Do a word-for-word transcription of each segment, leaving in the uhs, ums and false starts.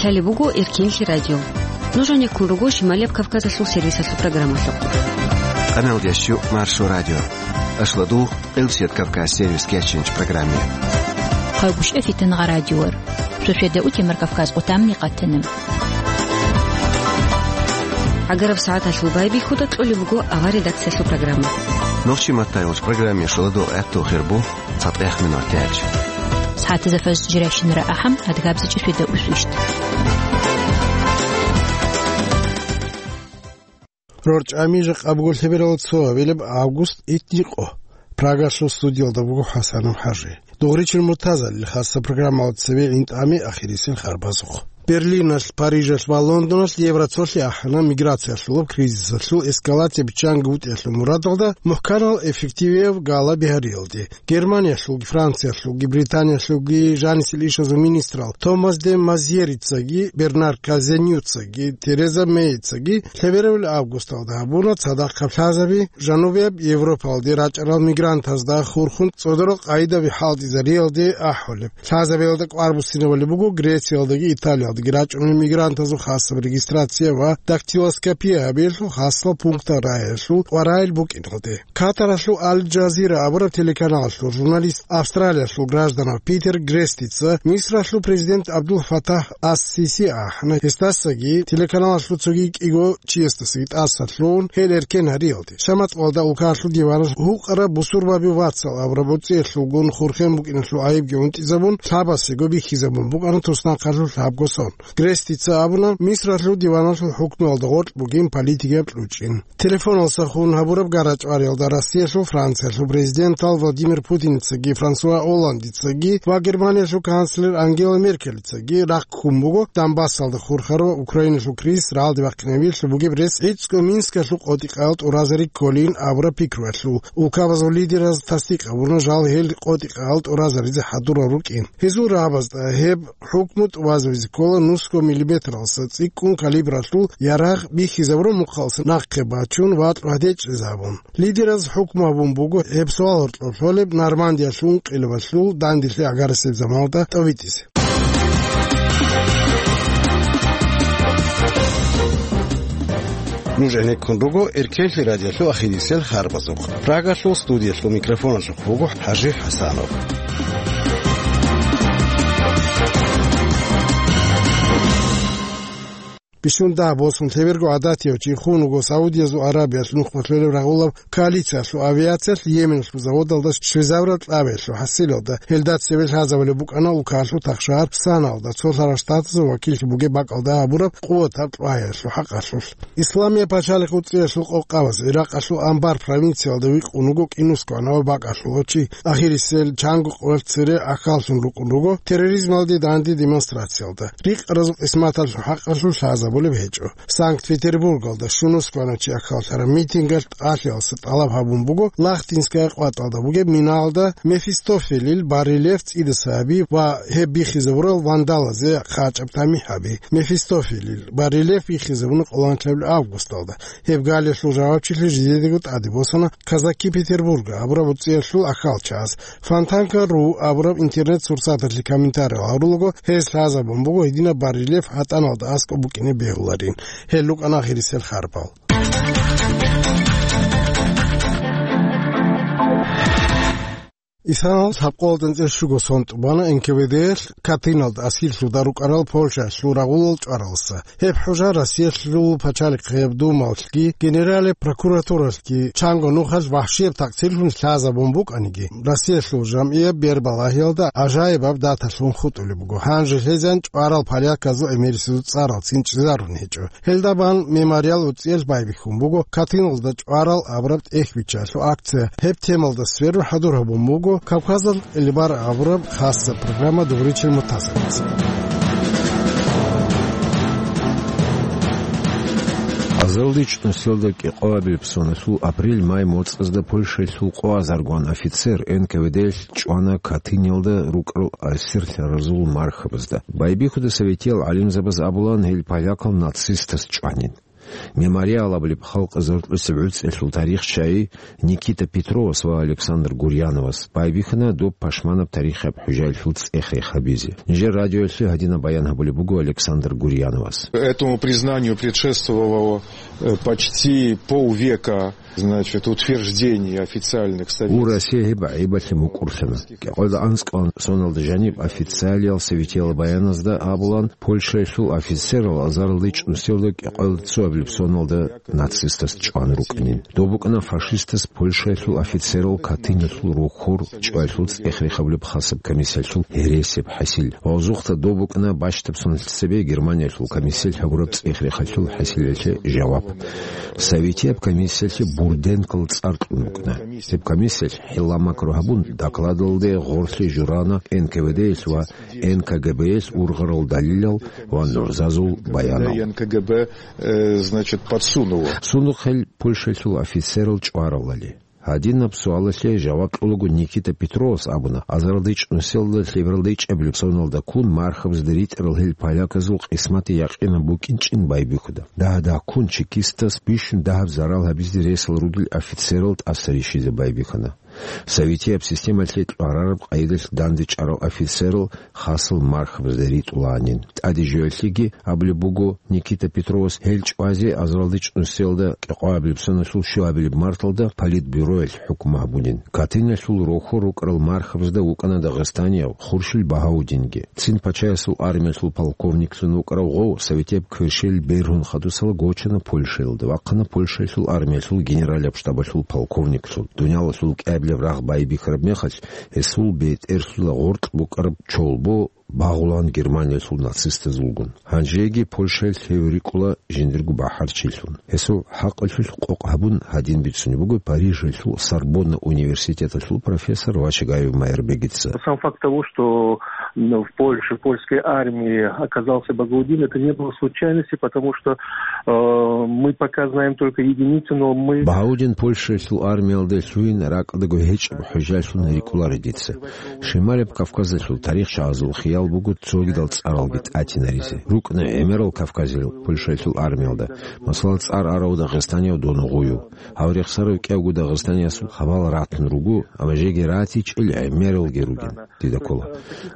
Лъалеб буго Эркенлъи радио. Нуж гьанеккун руго Шималияб Кавказалъул сервисалъул программалъухъ. Къаналдящу Маршо радио. Ашладугъ Къилсият Кавказ сервис кеченч программе. Хъайгуща фитангъа радиор. Шошеда утемар Кавказ къутамни къатана. Агараб сагӀаталъул байбихьуда кьолеб буго авар редакциялъул программа. Нохчи маттайолч программе шуладо гӀатту хирбу. ЦатӀех минутач. СагӀатазда фажр жирайщинара ахӀам, адгабзичӀи свида усвищт. РорчӀами жакъа буго лъеберал цо авилаб август итникъо. Прагалъул студиялда буго ХӀасанов ХӀажи. Дугъричил муртазалил хасса программала цеве гӀинтӀами ахирисел харбазухъ. Берлиналъ, Парижалъ ва Лондоналъ евроцолъи ахӀана миграциялъулаб кризисалъул эскалация биччанги вутӀиялъул мурадалда мухӀканал эффективияв гала бигьариялде. Германиялъулги, Франциялъулги, Британиялъулги жанисел ишазул министрал Томас де Мазьерицаги Бернар Казенюцаги Тереза Мейицаги лъеберабил августалда гьабуна цадахъ лъазаби жанубияб Европалде рачӀарал мигрантазда хурхун цӀодорал къайдаби хӀалтӀизариялде ахӀулеб. Лъазабиялда кӀвар буссинабали буго Грециялдаги Италиялдаги рачӀунел мигрантазул хасаб регистрация ва дактилоскопия гьабиялъул хасал пунктал рагӀиялъул кӀварайил букӀиналде. Катаралъул Аль-Джазира абураб телеканалалъул журналист, Австралиялъул гражданав Питер Грестица Мисралъул президент Абдул Фатах ас-Сиси ахӀана, гьесдасаги телеканалалъул цоги кӀиго чиясдасаги тӀаса лъугьун гьел эркен гьариялде. Шамат къоялда улкаялъул диваналъ гьукъараб бусурбаби вацал абураб боцӀиялъулгун хурхен букӀиналъул гӀайибги унтӀизабун, лъабасего бихьизабун букӀана туснахъалъулъ гьабго сон. Грестица абуна, Мисралъул диваналъул хӀукмуялда гъоркь бугин политикияб кьучӀин. Телефоналдаса хун гьабураб гарачӀвариялда Россиялъул, Франциялъул президентал Владимир Путиницаги, Франсуа Олландицаги ва Германиялъул канцлер Ангела Меркелицаги рахъ ккун буго Донбассалда хурхарав Украиналъул кризис рагӀалде бахъинабиялъул бугеб рес гӀицӀго Минскалъул къотӀи-къаял тӀуразари кколин абураб пикруялъул. Улкабазул лидераз тасдикъ гьабуна жал гьел къотӀи-къаял тӀуразаризе хӀадурал рукӀин. Гьезул рагӀабазда гьеб хӀукму тӀубазабизе ккола нусго миллиметралдаса цӀикӀкӀун калибралъул ярагъ бихьизабураб мухъалдаса нахъе бачун ва гьадечӀезабун. Лидераз хӀукму гьабун буго гьеб суал гьоркьоб лъолеб Нормандиялъул ункъилабалъул данделъи агарасеб заманалда тӀовитӀизе. Нуж гӀенеккун руго Эркенлъи радиолъул ахирисел харбазухъ. Прагалъул студиялъул микрофоналъухъ буго ХӀажи ХӀасанов. Бищун дагь босун лъеберго гӀадатияв чи хун вуго Саудиязул Аравиялъ нухмалъулеб рагъулаб коалициялъул авиациялъ Йеменалъул заводалда щвезабураб кьабиялъул хӀасилалда. Гьелда цеве лъазабулеб букӀана улкалъул тахшагьар Санаялда, цолъарал штатазул вакиллъи бугеб бакӀалда гьабураб къуватаб кьвагьиялъул хӀакъалъулъ. Исламияб пачалихъ уцӀиялъул къокъабаз Иракъалъул Анбар провинциялда викъун вуго кӀинусго анав бакӀалъулав чи. Ахирисел чанго къоялъ цере ахьаллъун рукӀун руго терроризмалде данде демонстрациялда. Рикъаразул къисматалъул хӀакъалъулъ лъазабулеб гьечӀо. Санкт-Петербургалда щунусго анав чи ахьаллъараб митингалъ тӀалъиялдаса тӀалаб гьабун буго Лахтинская къватӀалда бугеб миналда Мефистофелил барельеф цӀидаса гьаби ва гьеб бихьизабурал вандалазе хъачӀаб тамихӀ гьаби. Мефистофелил барельеф бихьизабуна къоло анлъабилеб августалда. Гьеб галиялъул жавабчилъи жидедаго тӀаде босана Казаки Петербурга абураб уцӀиялъул ахьалчагӀаз. Фонтанка ру абураб интернет-сурсаталъе комментариял гьарулаго, гьез лъазабун буго гьединаб барельеф гьатӀаналда аскӀоб букӀине бегьуларин. Гьел рукӀана ахирисел харбал. Исаналъ гьабкъолда анцӀила щуго сон тӀубана Н К В Д-ялъ Катыналда асирлъуда рукӀарал Польшаялъул рагъулал чӀваралдаса. Гьеб хӀужа Россиялъул пачалихъияб думалъги генералияб прокуратуралъги чанго нухалъ вахӀшияб такъсирлъун лъазабун букӀаниги, Россиялъул жамгӀияб бербалагьиялда гӀажаибаб даталъун хутӀулеб буго. Гьанже лъезан чӀварал поляказул гӀемерисезул цӀарал цин чӀезарун гьечӀо. Гьелда бан Мемориал уцӀиялъ байбихьун буго Катыналда чӀварал абураб тӀехь биччалъул акция. Гьеб темалда сверун хӀадур гьабун буго Кавказал кьелебар абураб хасса программа дугъричил мутазарица. Азалдич нусилда кӀикъоабилеб соналъул апрель-май моцӀазда Польшаялъул къоазаргван офицер Н К В Д-ялъ чӀвана Катыналда рукӀарал асирлъаразул мархабазда. Байбихьуда советиял гӀалимзабаз абулан, гьел полякал нацистаз чӀванин. «Мемориал» абулеб халкъ заркьулъеб гӀуцӀиялъул тарихчияс Никита Петровас ва Александр Гурьяновас байбихьана доб пашманаб тарихияб хӀужаялъул цӀех-рех гьабизе. Нижер радиоялъе гьадинаб баян гьабулеб буго Александр Гурьяновас. Этому признанию предшествовало, э, почти полвека, значит, утверждение официальных советских. Гьеб гӀайибалъе мукӀурлъана. КӀикъоялда анцӀкӀалда соналда жаниб официалиял советиял баяназда абулан, Польшаялъул офицерал азаралда чӀунусиялда кӀикъоялда цоабилеб соналда нацистас чӀван рукӀанин. Доб букӀана фашистас Польшаялъул офицерал Катынялъул рохьор чӀваялъул цӀех-рех гьабулеб хасаб комиссиялъул гьересияб хӀасил. Ва гъозухъа доб букӀана бащдаб соналъ цебе Германиялъул комиссиялъ гьабураб цӀех-рехалъул хӀасилалъе жаваб. Советияб комиссиялъе Бурденкол цӀар кьун букӀана. Гьеб комиссиялъ хӀилла-макру гьабун, докладалде гъорлъе журана Н К В Д-ялъ ва Н К Г Б-ялъ ургъарал далилал ва нугӀзазул баянал. Н К Г Б, э, значит, подсунуло. Сундухъ гьел Польшаялъул офицерал чӀваралали. Гьадинаб суалалъе жаваб кьулаго Никита Петровас абуна, азаралда чӀунусиялда лъебералда ичӀабилеб соналда ккун мархабазда ритӀарал гьел поляказул къисматги якъинаб букӀинчӀин байбихьуда. Дагь-дагьккун чекистас бищун дагьаб зарал гьабизе ресал ругел офицерал тӀаса рищизе байбихьана. Советияб системалъе кьварараб къайдалъ дандечӀарал офицерал хасал мархабазда ритӀулаанин. ТӀаде жоялъеги абулеб буго Никита Петровас, гьел чӀвазе азаралда чӀунусиялда кӀикъоабилеб соналъул щуабилеб марталда политбюроялъ хӀукму гьабунин. Катынялъул рохьор рукӀарал мархабазда вукӀана дагъистанияв Хуршил Багьаудинги. Цин пачаясул армиялъул полковниклъун вукӀарав гъов советияб кверщел бергьун хадусала гочана Польшаялда, вахъана Польшаялъул армиялъул генералияб штабалъул полковниклъун. Дуниялалъул кӀиабилеб рагъ байбихьараб мехалъ, гьесул бетӀерлъула гъоркь букӀараб чолбо багъулаан Германиялъул нацистазулгун. Гьанжеги Польшаялъ гьев рикӀкӀула жиндирго бахӀарчилъун. Гьесул хӀакъалъулъ къокъ гьабун гьадин бицунеб буго Парижалъул Сорбонна университеталъул профессор Вачагаев Майрбегица. Сам факт того, что, м, в Польше, в польской армии оказался Багаудин, это не было случайности, потому что, э, мы пока знаем только единицы, но мы Багьаудин Польшаялъул армиялде лъугьин ракӀалдаго гьечӀеб хӀужалъун рикӀкӀунаро дица. Шималаб Кавказалъул тарихчагӀазул хиял буго цогидал цӀаралги тӀатинаризе. РукӀана гӀемерал кавказиял Польшаялъул армиялда, масала, цӀар арав дагъистанияв Донугъуев. Гьав рехсарав кӀиявго дагъистаниясул хабал ратун руго, амма жеги ратичӀел гӀемералги ругин, дида ккола.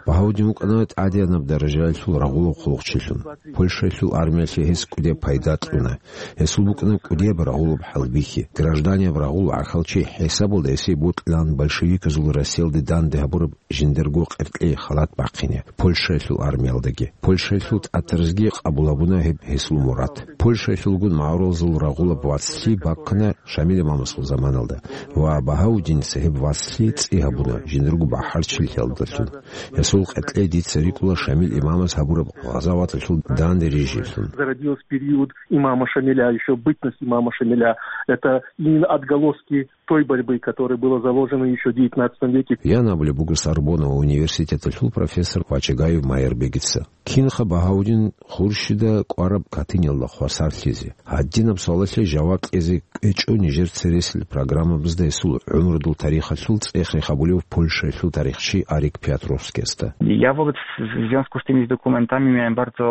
Багьаудин вукӀана тӀадегӀанаб даражаялъул рагъулаб хъулухъчилъун. Польшаялъул армиялъе гьес кӀудияб пайда кьуна. Гьесул букӀана кӀудияб рагъулаб хӀалбихьи. Гражданияб рагъул гӀахьалчи хӀисабалда гьесие бокьилаан большевиказул Россиялде данде гьабураб жиндирго къеркьей халат бахъине Польшаялъул армиялдаги. Польшаялъул тӀатаразги къабул гьабуна гьеб гьесул мурад. Польшаялъулгун магӀарулазул рагъулаб вацлъи бахъана Шамил имамасул заманалда ва Багьаудиница гьеб вацлъи цӀи гьабуна жиндирго бахӀарчилъиялдалъун. Гьесул къеркьей дица рикӀкӀуна Шамил имамас гьабураб гъазаваталъул данде рижиялъун. Зародилась в период имама Шамиля, ещё бытность имама Шамиля. Это именно отголоски той борьбы, которая была заложена ещё в девятнадцатом веке. Ян абулеб буго Сорбонна университеталъул профессор Вачагаев Майрбегица. Кинха Багьаудин Хуршида кӀвараб Катынялда хвасарлъизе? Гьадинаб суалалъе жаваб кьезе кӀвечӀо нижер цересел программабазда гьесул гӀумрудул тарихалъул цӀех-рех гьабулев Польшаялъул тарихчи Арик Пиотровскиясда. Я вот в, в związku z tymi dokumentami miałem bardzo,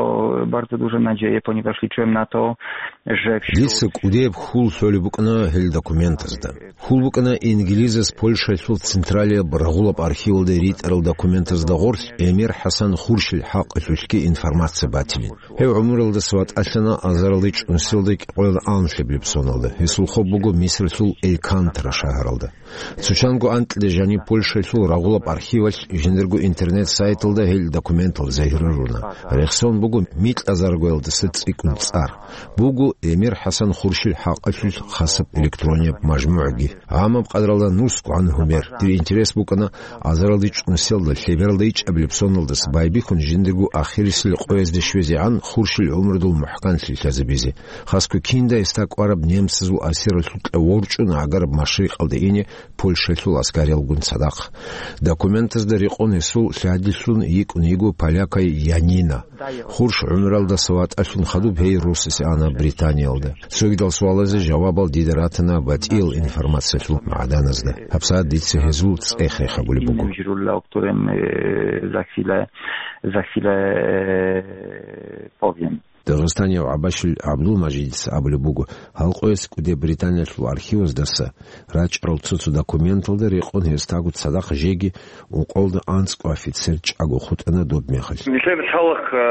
bardzo dużą nadzieję, ponieważ liczyłem na to, że wśród Дица кӀудияб хьул лъолеб букӀана гьел документазда. Хьул букӀана инглизас Польшаялъул централияб рагъулаб архивалда ритӀарал документазда гъорлъ Эмир ХӀасан Хуршил хӀакъалъулъги информация батилин. Гьев гӀумралдаса ватӀалъана азаралда чӀунусиялда кӀикъоялда анлъабилеб соналда. Гьесул хоб буго Мисрлъул Элькантра шагьаралда. Цо чанго анкьида жаниб Польшаялъул рагъулаб архивалъ жиндирго интернет-сайталда гьел документал загьируруна. Рехсон буго микьазаргоялдаса цӀикӀкӀун цӀар. Буго Эмир ХӀасан Хуршил хӀакъалъулъ хасаб электронияб мажмугӀги. Гьамаб къадралда нусго гӀан гьумер. Дир интерес букӀана азаралда чӀунусиялда лъебералда ичӀабилеб соналдаса байбихьун жиндирго ахирисел къоязде щвезегӀан Хуршил гӀумрудул мухӀканлъи лъазабизе. Хасго кинда гьесда кӀвараб немцазул асиралъукьа ворчӀун гӀагараб машрикъалда ине Польшаялъул аскариялгун цадахъ. Документазда рекъон гьесул лъадилъун йикӀун йиго полякай Янина. Хурш гӀумралдаса ватӀалъун хадуб гьей росасе ана Британиялда. Цогидал суалазе жавабал дида ратана батӀиял информациялъул магӀданазда. ГьабсагӀат дица гьезул цӀех-рех гьабулеб буго. Innym źródle, o którym, e, za chwilę, za chwilę, e, powiem. Дагъистанияв ГӀабашил ГӀабдулмажидица абулеб буго, гьал къоялъ кӀудияб Британиялъул архиваздаса рачӀарал цо-цо документалда рекъон гьесдаго цадахъ жеги ункъоялда анцӀго офицер чӀаго хутӀана доб мехалъ. Нилъер лъалахъ,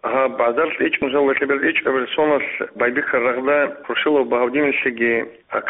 гьаб базаралъ ичӀнусел ва лъеберал ичӀабилеб соналъ байбихьараб рагъда Хуршилов Багьавдиналъеги,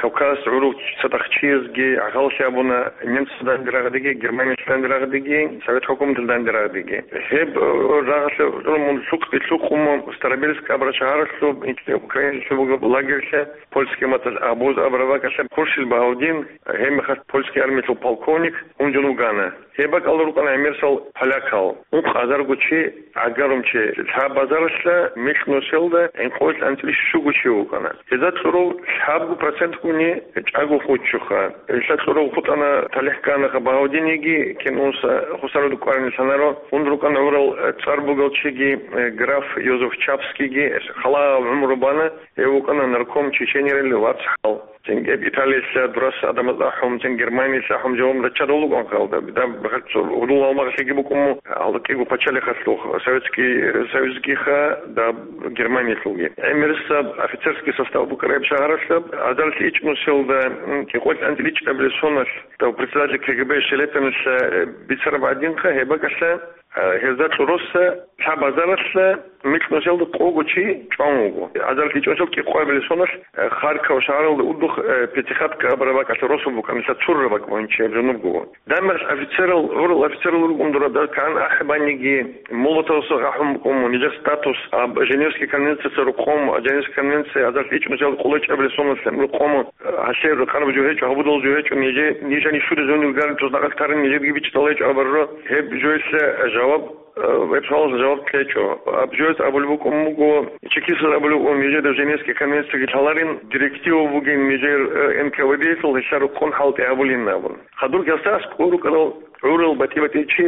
Кавказ гӀурул цадахъ чиясги гӀахьаллъи абуна, немцазда данде рагъдеги, Германиялъ данде рагъдеги, Совет хӀукуматалда данде рагъдеги. Гьеб, э, рагъалъе гӀурмун лъукъ-, лъукъун Старобельск абураб шагьаралъуб, Украиналъуб бугеб лагерьлъа, польский маталъ Абуз абураб бакӀалъа Хуршил Багьавдин, гьеб мехалъ польский армиялъул полковник, унжун вугана. Гьеб бакӀалда рукӀана гӀемерисел полякал, ункъазарго чи, гӀагарум чи. Лъаб базаралъа микьнусиялда гӀинкъоялъ анцӀила щуго чи вукӀана. Гьезда кьурав лъабго процентгуни чӀаго хутӀчӀоха. Гьелъа кьурав хутӀана, талихӀ кканаха Багьавдинеги, кин унса хусаруда кӀварин лъанаро, ун рукӀана гӀурал цӀар бугел чиги, э, граф Йозеф Чапскийги, халал гӀумру бана, гьев вукӀана нарком Чеченерил вацгӀал. Цинги Италиялъа дурас гӀадамаз ахӀун, цин Германиялъа ахӀун жаваб раччарал рукӀун халда. Даб бахъал цо гьудул гьалмагълъиги букӀун, гьалда кӀиго пачалихъалъухъ, Советский Союзгиха, даб Германиялъулги. ГӀемерисаб офицерский состав букӀараб шагьаралъаб, азаралъ ичӀнусиялда, м, кӀикъоялъ анцӀила ичӀабилеб соналъ, дав председатель КГБ Шелепиналъа, э, бицараб гӀадинха, гьеб бакӀалъа, Гьезда кьуруса лъабазаралъа микьнусиялда къого чи чӀван вуго. Азаралъ ичӀнусиялда кӀикъоябилеб соналъ, э, Харьков шагьаралда удухъ, э, Пятихатка абураб бакӀалъа росулъ букӀана, лъа цурра бакӀ бугин чи гьеб жунубго. Дагьаб мехалъ офицерал, гӀурал офицерал рукӀун дура, дагь кан ахӀи баниги, Молотовас ахӀун букӀун, нижер статус, аб Женевский конвенцияца рукъун, Женевский конвенция азаралъ ичӀнусиялда къулечӀабилеб соналъ рукъун, Гьалъе рукъараб жо гьечӀо, гьабудал жо гьечӀо, нижер, нижани щури зонил гариб цо нахъал тарин нижерги бичӀчӀалайчӀо абарро. Гьеб жоялъе жаваб, э, гьеб суалалъе жаваб кьечӀо. Аб жоялъ абулеб букӀун буго, чекистаз абулеб букӀун, нижеда Женевский конвенцияги лъаларин, директива бугин нижер, э, НКВД-ялъул, гьелъа рукъун хӀалтӀи гьабулин абун. Хадур гьасда аскӀор рукӀарал гӀурал батӀи-батӀи чи,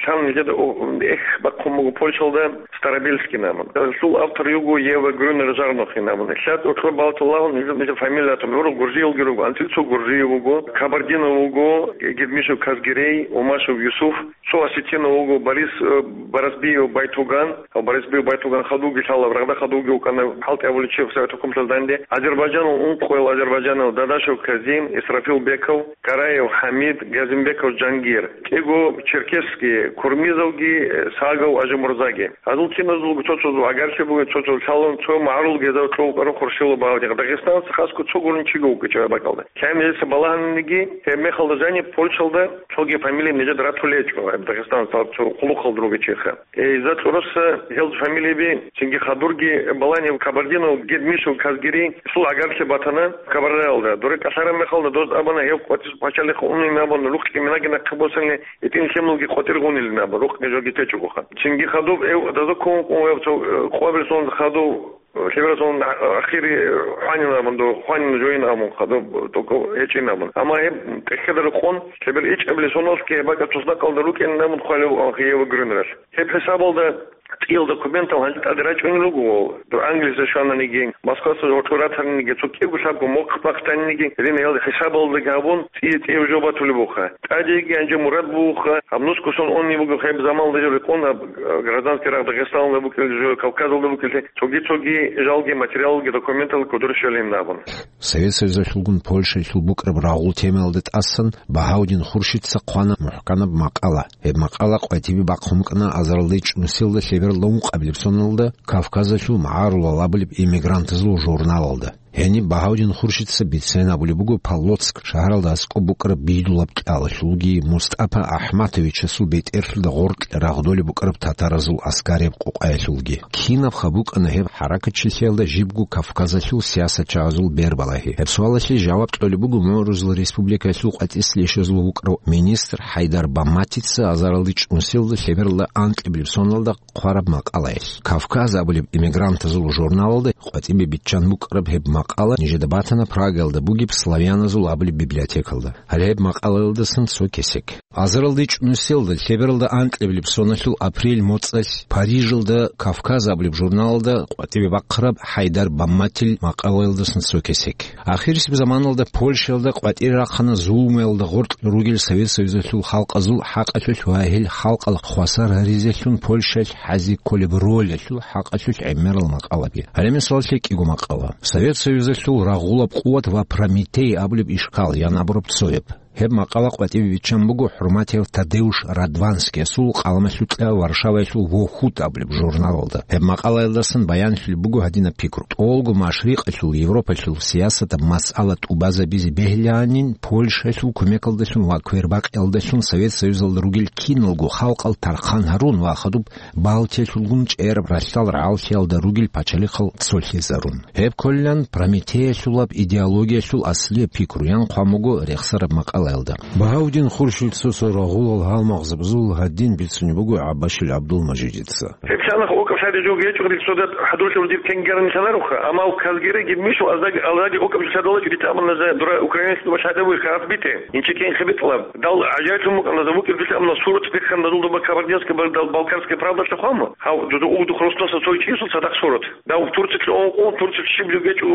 лъан нижеда, о, эх, бахъун буго Польшалда, Старобельский абун. Гьелъул автор йиго Ева Грюнер Жарнохин абун. Лъад гьоркьор балаталлагьун, гьезул нижер фамилиятун гӀурал Гуржиялги руго, анцӀила цо Гуржиев вуго, Кабардинов вуго, Гедмишев Казгерей, Умашев Юсуф, цо осетинов вуго, Борис, э, Барасбиев Байтуган, гьав Барасбиев Байтуган хадуги лъала, рагъда хадуги вукӀана, хӀалтӀи гьабулев чи Совет хӀукуматалда данде, азербайджанал ункъоял азербайджанал Дадашев Казим, Исрафил Беков, Караев ХӀамид, Газимбеков Жангир. КӀиго черкесский, Курмизовги, э, Сагов Ажимурзаги. Гьазул киназулго цо-цо гӀагарлъи бугин, цо-цо лъалун, цо магӀарул гьезда кьов вукӀарав Хуршилов Багьавдин. Дагъистаналъ хасго цо гурун чиго вукӀинчӀо гьеб бакӀалда. Лъай нижеца балагьаниги, гьеб мехалда жаниб Польшалда цоги фамилия нижеда ратулечӀо, гьеб Дагъистаналъ цо хъулухъалда ругел чиха. Э, гьезда кьуруса гьел фамилияби, цинги хадурги балани Кабардинов Гедмишев Казгерей, гьесул гӀагарлъи батана Кабардаялда. Дуре кӀалъараб мехалда доз абуна гьев къватӀир пачалихъ унин абун, рукъги минаги нахъе босани, гьитӀин лъималги къватӀир гъунилин абун, рукъги жоги течӀогоха. Цинги хадуб гьев даза ккун вукӀун, гьев цо, э, къвабилсун хадуб, э, лъебералъун ахири хванин абун, до хванин жоин абун хадуб, только гьечӀин абун. Амма гьеб тӀехьеда рекъон, лъебер ичӀабилеб соналъги гьеб бакӀа туснакъалда рукӀин абун хъвалев Ева Грюнералъ. Гьеб хӀисабалда цӀиял документал гьанже тӀаде рачӀунел руго, дур Англиялде щвананиги, Москваялде гьоркьор ратаниги, цо кӀиго лъабго мохъ бахъаниги, гьединал хӀисабалдаги гьабун, цӀи-цӀияб жо батулеб буха. ТӀадеги гьанже мурад бугоха, гьаб нусго сон унеб буго, гьеб заманалда жо рекъон, гьаб, э, гражданский рагъ Дагъистаналда букӀине жо, Кавказалда букӀине, цоги-цоги жалги, материалги, документал кодор щвелин абун. Совет Союзалъулгун Польшаялъул букӀараб рагъул темаялда тӀасан Багьавдин Хуршидца хъвана мухӀканаб макъала. Гьеб макъала къватӀибе бахъун букӀана азаралда ичӀнусиялда лъебералда ункъабилеб соналда Кавказалъул магӀарулал абулеб эмигрантазул журналалда. Гьениб Багьавдин Хуршидца бицен абулеб буго Полоцк шагьаралда аскӀоб букӀараб бидулаб кьалалъулги МустӀапа АхӀматовичасул бетӀерлъуда гъоркье рагъдолеб букӀараб татаразул аскарияб къокъаялъулги. Кинабха букӀана гьеб хӀаракатчилъиялда жибго Кавказалъул сиясатчагӀазул бербалагьи? Гьеб суалалъе жаваб кьолеб буго МогӀрузул Республикаялъул къватӀислъи ишазул вукӀарав министр ХӀайдар Баматица азаралда ичӀнусиялда лъебералда анкьабилеб соналда хъвараб макъалаялъ. Кавказ абулеб эмигрантазул журналалда къватӀибе биччан букӀараб гьеб макъала нижеда батана Прагаялда бугеб славяназул абулеб библиотекалда. Гьале гьеб макъалаялдасан цо кесек. Азаралда ичӀнусиялда лъебералда анкьабилеб соналъул апрель моцӀалъ Парижалда «Кавказ» абулеб журналалда къватӀибе бахъараб Хайдар Бамматил макъалаялдасан цо кесек. Ахирисеб заманалда Польшаялда къватӀире рахъана зулмуялда гъоркь ругел Совет Союзалъул халкъазул хӀакъалъулъ ва гьел халкъал хвасар гьаризелъун Польшалъ хӀазе кколеб ролалъул хӀакъалъулъ гӀемерал макъалаби. Гьале мисаллъи кӀиго макъала: «Совет Союзалъул рагъулаб къуват ва Прометей абулеб ишкал» ян абураб цояб. Гьеб макъала къватӀибе биччан буго хӀурматияв Тадеуш Радванскиясул къаламалъукьа Варшаваялъул «Вохут» абулеб журналалда. Гьеб макъалаялдасан баянлъулеб буго гьадинаб пикру: тӀолго машрикъалъул Европалъул сиясатаб масъала тӀубазабизе бегьилаанин, Польшаялъул кумекалдалъун ва квербакъиялдалъун Совет Союзалда ругел киналго халкъал тархъан гьарун ва хадуб Балтиялъулгун чӀераб ралъдал рагӀаллъиялда ругел пачалихъал цолъизарун. Гьеб кколилан Прометеялъулаб идеологиялъул аслияб пикруян хъван буго рехсараб макъалаялда. Багьавдин Хуршил цо-цо рагъулал гьалмагъзабазул гьадин бицунеб буго ГӀаббашил ГӀабдулмажидица. Гьеб лъалаха окӀаб лъади жо гьечӀо риксодат хӀадурлъи урдиб кенгерни лъанаруха, амма казгереги мишо аздаги алдаги окӀаб лъадалачӀо дитӀа амма за дура украинец дуба лъадавуй харат бите. Инчи кенхи битӀлаб. Дал гӀажаиблъун букӀана за вукӀир дитӀа амма сурат биххана дазул дуба Кабардинская, дал Балкарская правда лъухъама. Гьав, дуда угдухъ росдаса цой чиясул цадахъ сурат. Дав Турциялъе ункъо, Турциялъ щиб жо гьечӀо,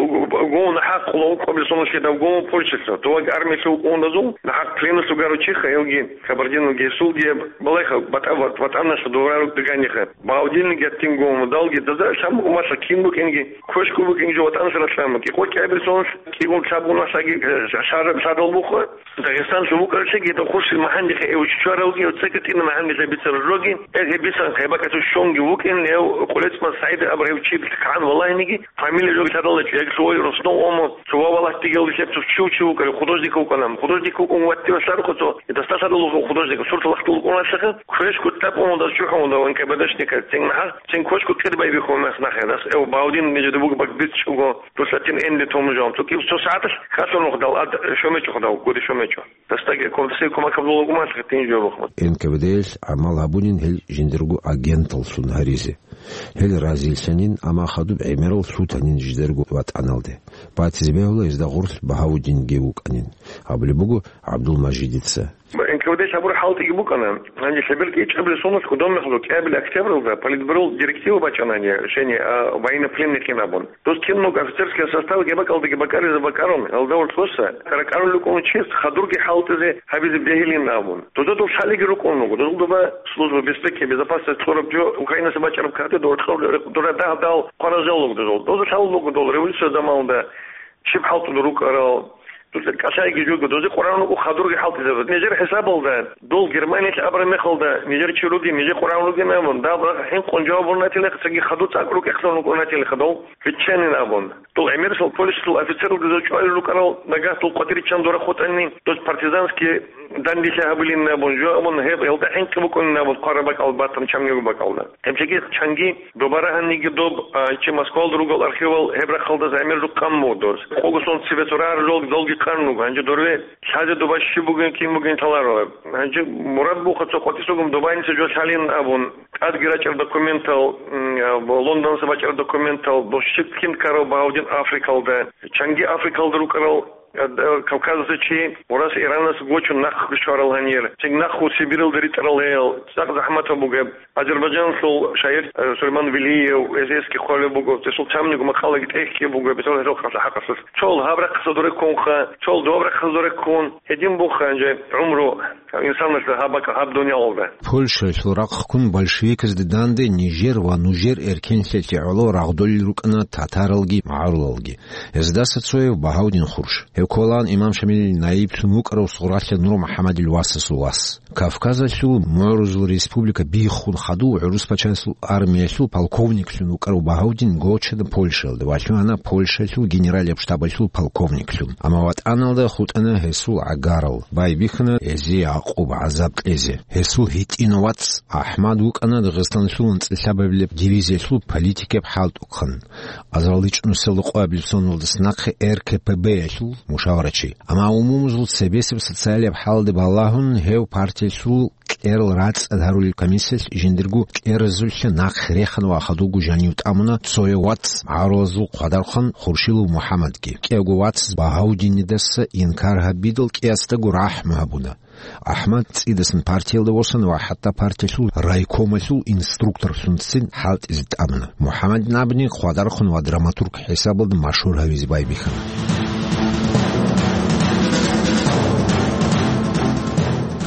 гов нахӀахъ ловкъабил соналъе дав гов Польшалъа. Доваги армиялъе вукъун дазул, нахӀахъ пленалъе вугар вучихха, гьевги Кабардиналги гьесулги, балайха, батӀа-, ватӀаналъа доварару дагьаниха. Багьавдинги гьатин гов, далги даза лъан буго малъа кин букӀинги, квешго букӀинги жо ватӀаналъ ралъан буго. КӀикъо кӀиабил соналъ, кӀикъун лъабгун малъаги, э, шараб шарал бухъа. Дагъистанлъун вукӀаралъеги, гьедин хурси магьандихъе эвччваравги, цеги тӀина магьандилъа бицарал жоги, эгьеб бисан хъайбакӀалъул щонги вукӀин, гьев Къулецман СагӀид абурав чи кагӀан валагьиниги, фамилия жоги лъадалачӀо, яги лъугьай Роснов Омо, цо ва валлагь дигелде лъеб цо чи вукӀарав художник вукӀана. Художник вукӀун ваттила лъарухъа цо, гьедасда лъадалуха художник, сурат лахтул вукӀуналъеха, квешго тӀад умудас чухӀун вугев НКВДшника, цин нахӀа, цин квешго кӀир байбихьун мехнахъе, дас эв Багьавдин нижеда буго бакӀ бицчӀого, дулъатин энди том жо. Цо киб цо сагӀаталъ хасун вухдал, ад шомечӀо худав, гури шомечӀо. Дастаги кумсей кумакаб лугьукумалъ гьитин жо рухмат. НКВД-ялъ гӀамал гьабунин гьел жиндирго агенталлъун гьаризе. Гьел разилъанин, амма хадуб гӀемерал лъутанин жидерго ватӀаналде. Батизе бегьула гьезда гъорлъ Багьавудинги вукӀанин, абулеб буго ГӀабдулмажидица. НКВД-лъ гьабур хӀалтӀиги букӀана. Гьанже лъеберги ичӀабилеб соналъ гудомехалъ кӀиабилеб октябралда Политбюро директива бачӀана гьанже, решение, а, военнопленныйхин абун. Дос киналго офицерский составги гьеб бакӀалдаги бакӀаризе бакӀарун, гьалда ворцӀоса, ракӀарулел рукӀун чияс хадурги хӀалтӀизе гьабизе бегьилин абун. Доза дов лъалиги рукӀун руго. Дозул доба служба безпеки, безопасность кьураб жо Украинаса бачӀараб кагътида дора дагь-дагь хъваразал руго дозул. Доза лъалел руго дол революция заманалда щиб хӀалтӀун рукӀарал. Доза кӀалъайги жуго, дозе къваригӀун руго хадурги хӀалтӀизаб. Нижер хӀисабалда, дол Германиялъ абураб мехалда, нижер чи ругин, нижер къваригӀун ругин абун, даб рахъ хӀинкъун жаваб гьабун ратилаха, цоги хадур цӀакъ рукӀехъан рукӀун ратилаха дол. Биччанин абун. Дол гӀемерисел полициялъул офицерлъи доза чӀвалел рукӀарал, нагагь дол къватӀире чан дора хутӀани, дос партизанский данделъи гьабулин абун, жо абун, гьеб гьелда хӀинкъи букӀунин абун, хъвараб бакӀал батун чамниго бакӀалда. Гьеб чаги чанги доба рагьаниги доб, а, чи Москвалда ругел архивал гьеб рахъалдаса гӀемер жо къан буго дос. Къого сон цебе цо рагьарал жолги долги къан руго. Гьанже дорве лъазе доба щиб бугин, кин бугин лъаларо. Гьанже мурад буха цо къватӀисагун добаница жо лъалин абун. ТӀадги рачӀар документал, м, а, Лондонса бачӀар документал, дос щиб кин ккарав Багьавдин Африкалда. Чанги Африкалда рукӀарал, а, д-, Кавказалъа чи Урас Иранас гочун нахъ щварал гьанир. Цинги нахъ Сибиралда ритӀарал гьел. ЦӀакъ захӀматаб бугеб. Азербайджанлъул шагьир, э, Сулейман Велиев, эс-эсги хъвалеб буго, гьесул чамниго макъалаги тӀехьги буго, бетӀер гьесул хъаса хӀакъалъулъ. Чол гьаб рахъаса дуреккунха, чол доб рахъаса дуреккун, гьедин буха гьанже гӀумру инсаналъул гьаб бакӀ-, гьаб дуниялалда. Польшаялъул рахъ ккун большевиказде данде нижер ва нужер эркенлъиялъе гӀоло рагъдолел рукӀана татаралги магӀарулалги. Гьездаса цояв Багьавдин Хурш. Гьев кколаан имам Шамилил наиблъун вукӀарав Сугъралъа Нур МухӀаммадил васасул вас. Кавказалъул мугӀрузул республика биххун хадув гӀурус пачалъул армиялъул полковниклъун вукӀарав Багьавдин гочана Польшаялда ва лъугьана Польшалъул генералияб штабалъул полковниклъун. Амма ватӀаналда хутӀана гьесул гӀагарал, байбихьана гьезие гӀакъуба-гӀазаб кьезе. Гьесул гьитӀинав вац АхӀмад вукӀана Дагъистаналъул анцӀила лъабабилеб дивизиялъул политикияб хӀалтӀухъан. Азарилчи нусилда къоабилеб соналдаса нахъе РКПБ-ялъул мушаварачи. Амма умумузул цебесеб социалияб хӀалде балагьун, гьев партиялъул кьерал рацӀцӀад гьарулел комиссиялъ жиндирго кьеразулъа нахъе рехана ва хадубго жанив тӀамуна цояв вац магӀарулазул хъвадархъан Хуршилов МухӀаммадги. КӀиявго вац Багьавдинидаса инкар гьабидал кӀиясдаго рахӀму гьабуна. АхӀмад цӀидасан партиялда восана ва хӀатта партиялъул райкомалъул инструкторлъунцин хӀалтӀизе тӀамуна. МухӀаммадин абуни хвадархъун ва драматург хӀисабалда машгьур гьавизе байбихьана.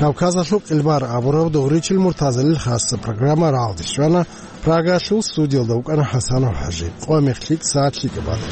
Кавказалъул къилбар абураб Дугъричил Муртазалил хасса программа рагӀалде щвана. Прагалъул студиялда вукӀана ХӀасанов ХӀажи. Къо мехлъи сагӀат лъикӀаб бада.